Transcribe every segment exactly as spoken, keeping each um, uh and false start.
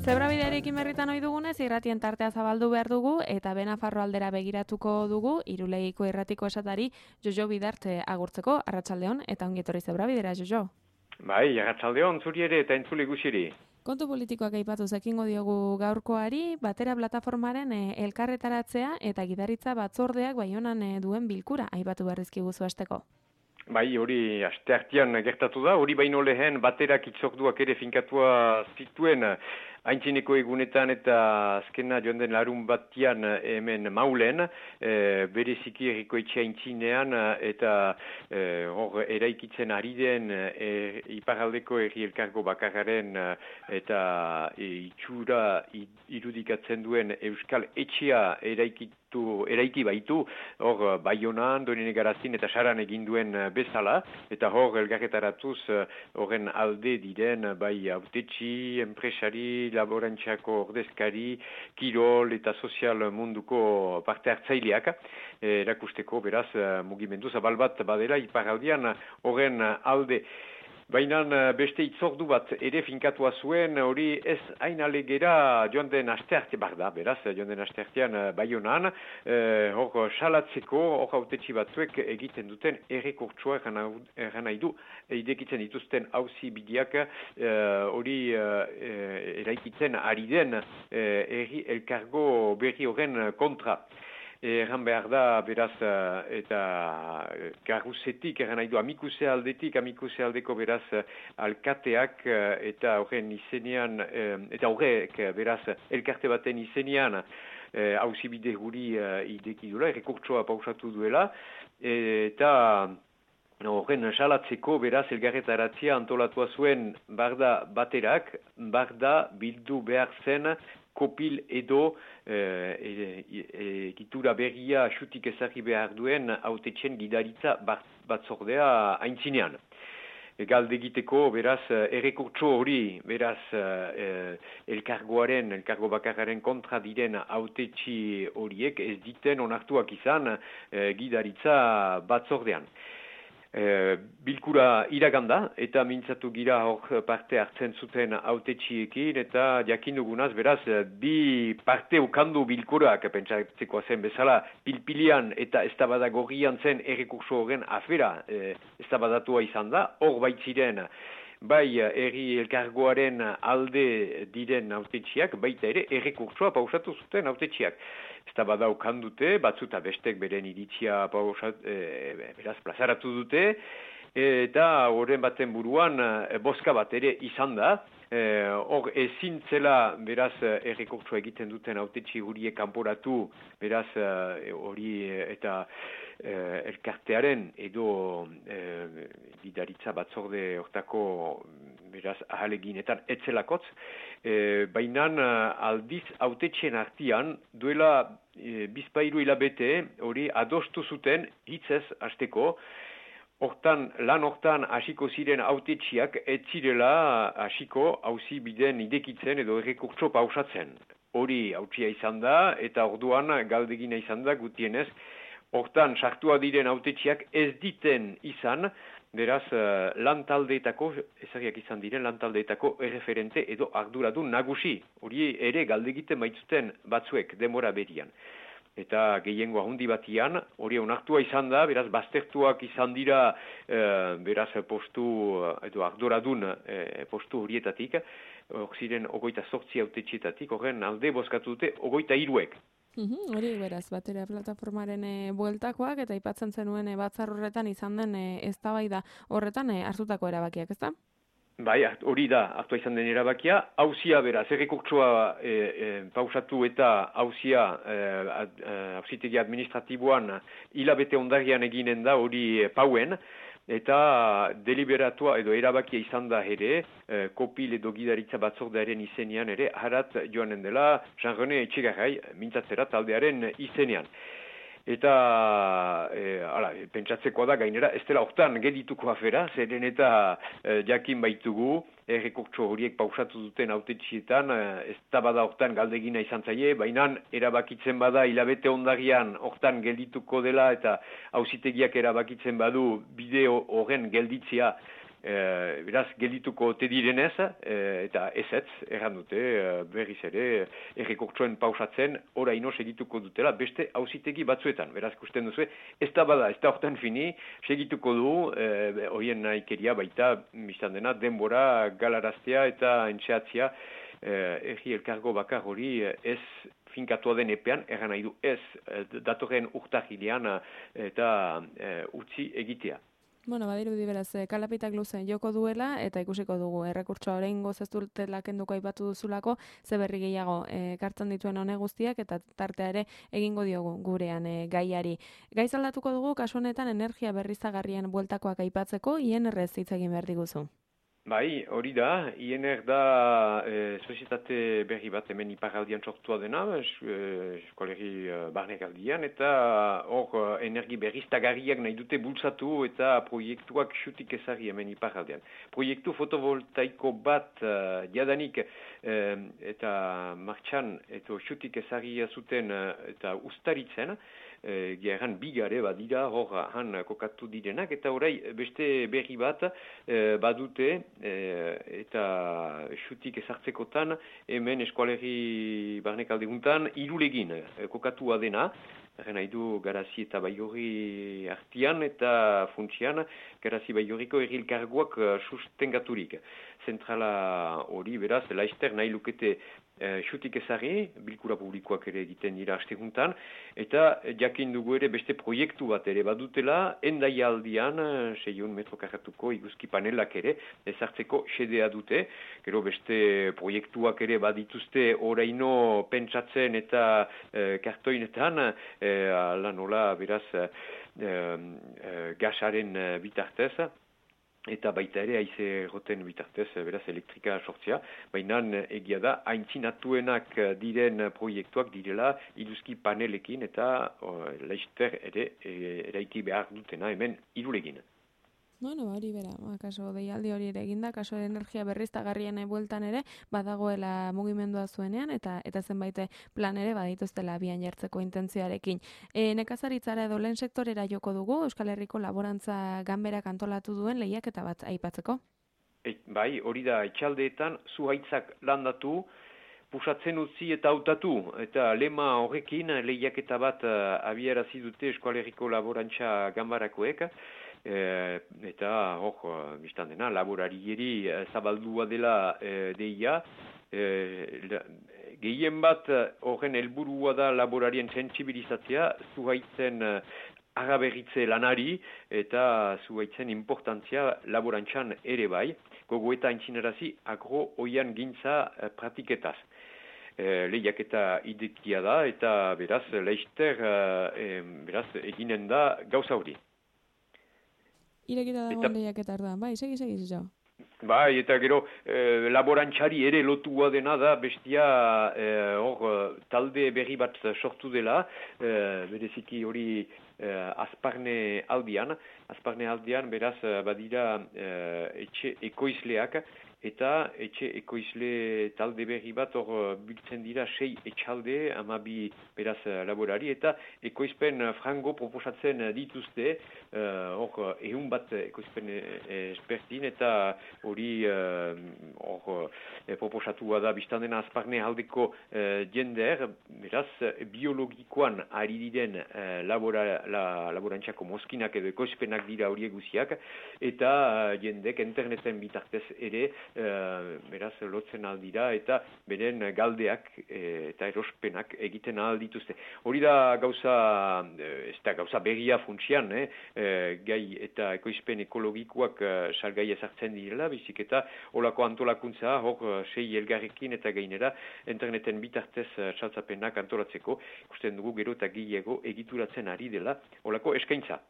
Zebrabidearekin berritan ohi dugunez, irratien tartea zabaldu behar dugu eta Benafarro aldera begiratuko dugu, Irulegiko irratiko esatari Jojo Bidarte agurtzeko, arratsaldeon eta ongi etorri Zebrabidera, Jojo. Bai, arratsaldeon zuri ere eta entzule guziri. Kontu politikoak aipatu zekingo diogu gaurkoari, batera plataformaren e, elkarretaratzea eta gidaritza batzordeak Baionan e, duen bilkura aipatu berrizkigu hasteko. Bai, hori asteartean gertatu da, hori baino lehen baterak itzorduak ere finkatua zituen haintzineko egunetan eta azkena joan den larun batian hemen Maulen, e, bereziki erriko etxe haintzinean eta e, hor eraikitzen ari den e, iparaldeko erri elkargo bakarraren eta e, itxura irudikatzen duen Euskal Etxea eraikitu, eraiki baitu, hor Baionan, Donene Garazin eta Saran egin duen bezala, eta hor elgarretaratuz horren alde diren bai autetxi, enpresari, laborantxako ordezkari, kirol eta sozial munduko parte hartzaileak, erakusteko beraz mugimendu zabal bat badela iparaldian horren alde. Baina beste itzordu bat ere finkatua zuen, hori ez hain alegera joan den astearte bar da, beraz, joan den asteartean Baionan, eh, hor salatzeko, hor autetxi batzuek egiten duten errekurtsoa eran nahi du, idekitzen dituzten auzi bideak hori eh, eraikitzen ari den eh, erri elkargo berri horren kontra. Erran behar da, beraz, eta garruzetik, erran nahi du, amikuse aldetik, amikuse aldeko, beraz, alkateak, eta horren izenean, eta horrek, beraz, elkarte baten izenean, hauzibide guri ideki duela, errekurtsoa pausatu duela, eta horren salatzeko, beraz, elgarretaratzea antolatua zuen barda baterak, barda bildu behar zen, kopil edo egitura e, e, berria xutik ezarri behar duen autetxen gidaritza batzordea haintzinean. Galde egiteko, beraz, errekurtso hori, beraz, e, elkargoaren, elkargo bakarraren kontra diren autetxi horiek ez diten onartuak izan e, gidaritza batzordean. E, bilkura iraganda eta mintzatu gira hor parte hartzen zuten autetxiekin eta jakin dugunaz, beraz, bi parte ukandu bilkurak, pentsatzeko zen bezala, pilpilian eta eztabada gorrian zen errekurso horren afera e, eztabadatua izan da, hor baitziren bai erri elkargoaren alde diren autetxiak, baita ere errekursoa pausatu zuten autetxiak. Eztabada ukan dute, batzuta bestek beren iritzia pausat, e, beraz plazaratu dute, eta horren baten buruan e, boska bat ere izan da, hor e, ezin zela beraz errekurtsoa egiten duten autetxi huriek kanporatu, beraz hori e, eta e, elkartearen edo e, gidaritza batzorde hortako beraz ahaleginetan etzelakotz, e, bainan aldiz autetxen artian duela e, bizpairu hilabete hori adostu zuten hitzez hasteko. Hortan, lan hortan hasiko ziren autetxiak ez zirela hasiko auzi biden idekitzen edo errekurtso pausatzen. Hori hautsia izan da eta orduan galdegina izan da gutienez. Hortan, sartua diren autetxiak ez diten izan, beraz, lan taldeetako, ezagiak izan diren lan taldeetako erreferente edo arduradun nagusi. Hori ere galdegiten baitzuten batzuek denbora berian. Eta gehiengo ahundi batian, hori onartua izan da, beraz, baztertuak izan dira, e, beraz, postu, edo arduradun e, postu horietatik, hor ziren ogoita sortzi autetxietatik, horren alde bozkatu dute ogoita hiruek. Uhum, hori beraz, batera plataformaren e, bueltakoak eta aipatzen zenuen e, batzar horretan izan den e, eztabaida horretan e, hartutako erabakiak, ezta? Bai, hori da, hartua izan den erabakia, hauzia beraz, errekurtsoa e, e, pausatu eta hauzia hauzitegi administratiboan hilabete ondarian eginen da hori pauen, eta deliberatua edo erabakia izan da ere, e, kopil edo gidaritza batzordearen izenean ere, harat joanen dela, Jean-René Etxegarrai, mintzatzera taldearen izenean. Eta, e, ala, pentsatzekoa da gainera, ez dela hortan gedituko afera, zeren eta e, jakin baitugu, errekurtso horiek pausatu duten autetxietan, ez da bada hortan galdegina izan zaie, baina erabakitzen bada hilabete ondarian hortan geldituko dela eta auzitegiak erabakitzen badu bideo horren gelditzea E, beraz, geldituko ote direnez, e, eta ezetz, erran dute, e, berriz ere, errekurtsoen pausatzen, oraino segituko dutela beste auzitegi batzuetan. Beraz, ikusten duzu, ez da bada, ez da hortan fini, segituko du, e, horien nahikeria baita, biztan dena, denbora galaraztea eta entxeatzia, Eh, erri elkargo bakar hori ez finkatua den epean, erran nahi du ez datorren urtahilean eta e, utzi egitea. Bueno, badirudi beraz, kalapitak luzen joko duela, eta ikusiko dugu, errekurtsoa orain ez dutela kenduko aipatu duzulako, ze berri gehiago ekartzen dituen hone guztiak, eta tartea ere egingo diogu gurean e, gaiari. Gaiz aldatuko dugu, kasu honetan energia berriztagarrien bueltakoak aipatzeko, I N R-ez hitz egin behar diguzu. Bai, hori da, I N R da e, sozietate berri bat hemen iparaldian sortua dena, eskolegi e, barnekaldian, eta hor energi berriztagarriak nahi dute bultzatu eta proiektuak xutik ezari hemen iparaldian. Proiektu fotovoltaiko bat uh, jadanik e, eta martxan eta xutik ezari zuten eta ustaritzen, E, Gerran bigare badira hor han kokatu direnak, eta orai beste berri bat e, badute e, eta xutik ezartzekotan hemen eskualerri barnekalde guntan irulegin e, kokatua dena. Erren nahi du Garazi eta Baigorri artian eta funtsian Garazi Baigorriko errilkarguak sustengaturik. Zentrala hori beraz, laister nahi lukete e, xutik ezari, bilkura publikoak ere egiten dira asteguntan, eta jakin dugu ere beste proiektu bat ere badutela, endaialdian, seiehun metro karratuko iguzki panelak ere, ezartzeko xedea dute, gero beste proiektuak ere badituzte oraino pentsatzen eta e, kartoinetan, e, ala nola beraz e, e, gasaren bitartez, eta baita ere haize roten bitartez, beraz elektrika sortzea, baina egia da, aintzinatuenak diren proiektuak direla iduzki panelekin eta o, laister ere e, eraiki behar dutena hemen irulegin. Bueno, hori bera, kaso deialdi hori ere eginda, kaso energia berriztagarrien bueltan ere, badagoela mugimendua zuenean, eta eta zenbait plan ere badituztela abian jartzeko intentzioarekin. E, nekazaritzara edo lehen sektorera joko dugu, Euskal Herriko Laborantza Ganberak antolatu duen lehiaketa bat aipatzeko? E, bai, hori da, etxaldeetan zuhaitzak landatu, pusatzen utzi eta hautatu, eta lema horrekin lehiaketa bat uh, abiarazi dute Euskal Herriko Laborantza Ganbarakoek, E, eta hor, biztan dena, laborarieri e, zabaldua dela e, deia. E, gehien bat horren helburua da laborarien sentsibilizatzea, zuhaitzen e, agaberritze lanari eta zuhaitzen importantzia laborantzan ere bai, gogo eta aintzinarazi agro oian gintza e, pratiketaz. E, lehiaketa idekia da eta beraz, leister e, beraz, eginen da gauza hori. Irekita dagoen lehiaketa da, bai, segi, segi, zo. Bai, eta gero, e, laborantxari ere lotua dena da, bestia, e, hor, talde berri bat sortu dela, e, bereziki hori e, azparne aldian, azparne aldian, beraz, badira e, etxe ekoizleak, eta etxe ekoizle talde berri bat hor biltzen dira sei etxalde, amabi beraz laborari, eta ekoizpen frango proposatzen dituzte, hor uh, ehun bat ekoizpen espertin, eta hori hor uh, proposatua da biztan dena azparne aldeko uh, jender, beraz biologikoan ari diren uh, labora, la, laborantxako moskinak edo ekoizpenak dira horiek guziak, eta uh, jendek interneten bitartez ere Uh, beraz lotzen aldira eta beren galdeak e, eta erospenak egiten aldituzte. Hori da gauza, ez da gauza berria funtsian, eh? e, gai eta ekoizpen ekologikoak uh, salgai ezartzen direla, bizik eta olako antolakuntza hor sei elgarrekin eta gainera interneten bitartez uh, saltzapenak antolatzeko, ikusten dugu gero eta gehiago egituratzen ari dela olako eskaintza.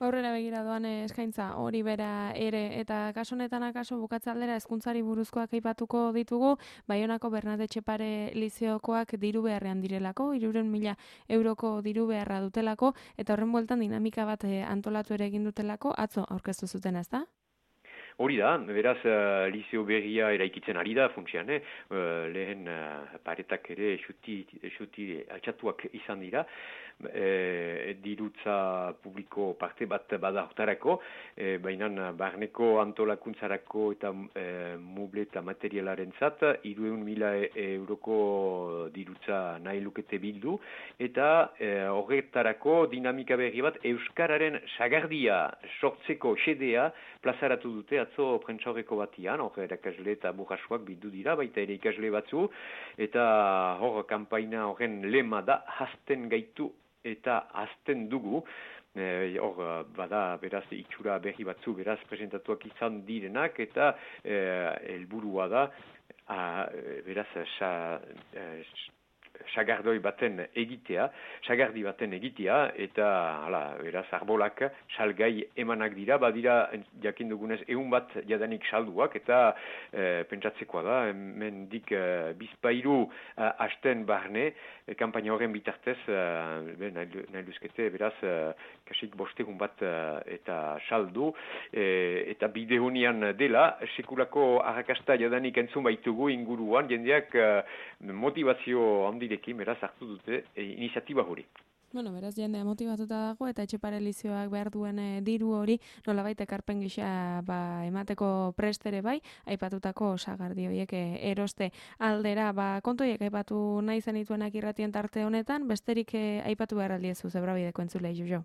Aurrera begira doan eskaintza hori bera ere, eta kaso honetan akaso bukatzaldera hezkuntzari buruzkoak aipatuko ditugu, Baionako Bernadetxe Pare Liziokoak diru beharrean direlako, hirurehun mila euroko diru beharra dutelako, eta horren bueltan dinamika bat antolatu ere egin dutelako, atzo aurkeztu zuten, ezta? hori da, beraz, uh, Liceo berria eraikitzen ari da, funtsian, eh? uh, lehen uh, paretak ere xuti, xuti altxatuak izan dira, e, dirutza publiko parte bat bada hortarako, e, baina barneko antolakuntzarako eta e, muble eta materialaren zat, hiruehun mila euroko dirutza nahi lukete bildu, eta e, horretarako dinamika berri bat Euskararen sagardia sortzeko xedea plazaratu dute atzo prentsa horreko batian, hor erakasle eta burrasuak bildu dira, baita ere ikasle batzu, eta hor kanpaina horren lema da hasten gaitu eta azten dugu, hor e, bada beraz itxura berri batzu beraz presentatuak izan direnak, eta helburua e, da a, beraz sa, e, sagardoi baten egitea, sagardi baten egitea, eta hala, beraz arbolak salgai emanak dira, badira jakin dugunez ehun bat jadanik salduak, eta e, pentsatzekoa da, mendik e, bizpairu e, hasten barne, e, kampaina horren bitartez, e, nahi luzkete, beraz, e, kasik bostegun bat e, eta saldu, e, eta bide honian dela, sekulako arrakasta jadanik entzun baitugu inguruan, jendeak e, motivazio handi beraz hartu dute e, iniziatiba hori. Bueno, beraz jendea motibatuta dago eta Etxepare Lizioak behar duen e, diru hori nolabait ekarpen gisa ba, emateko prestere bai, aipatutako sagardi horiek e, eroste aldera, ba, kontu horiek aipatu nahi zenituenak irratien tarte honetan, besterik e, aipatu behar aldiezu Zebrabideko entzulei Jojo.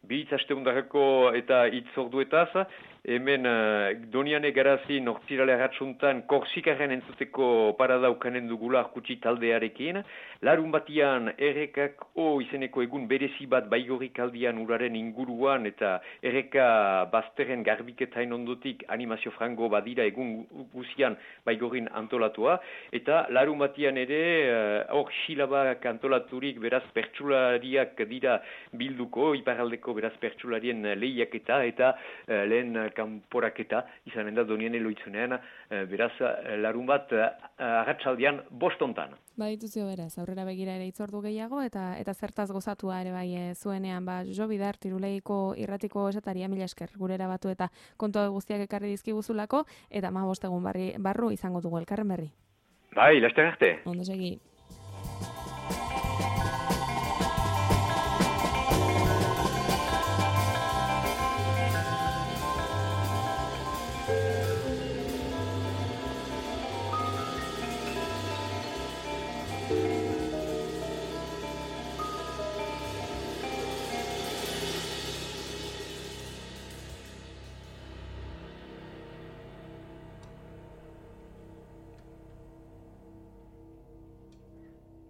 Bi hitz asteundarako eta hitz orduetaz, hemen uh, Doniane Garazi nortzirale agatsuntan Korsikaren entzuteko parada ukanen dugula arkutsi taldearekin. Larun batian errekak o izeneko egun berezi bat Baigorrik aldian uraren inguruan eta erreka bazterren garbiketain ondotik animazio frango badira egun guzian Baigorrin antolatua. Eta larun batian ere hor uh, xilabak antolaturik beraz pertsulariak dira bilduko, iparaldeko beraz pertsularien lehiaketa eta uh, lehen kanporaketa izanen da Doniane loitzunean, uh, beraz uh, larun bat uh, arratsaldean bostontan. Badituzio beraz, aurrera begira ere itzordu gehiago eta eta zertaz gozatua ere bai e, zuenean, ba Jojo Bidar Tiruleiko irratiko esataria mila esker gurera batu eta kontua guztiak ekarri dizkiguzulako eta hamabost egun barri barru izango dugu elkarren berri. Bai, laster arte. Ondo segi.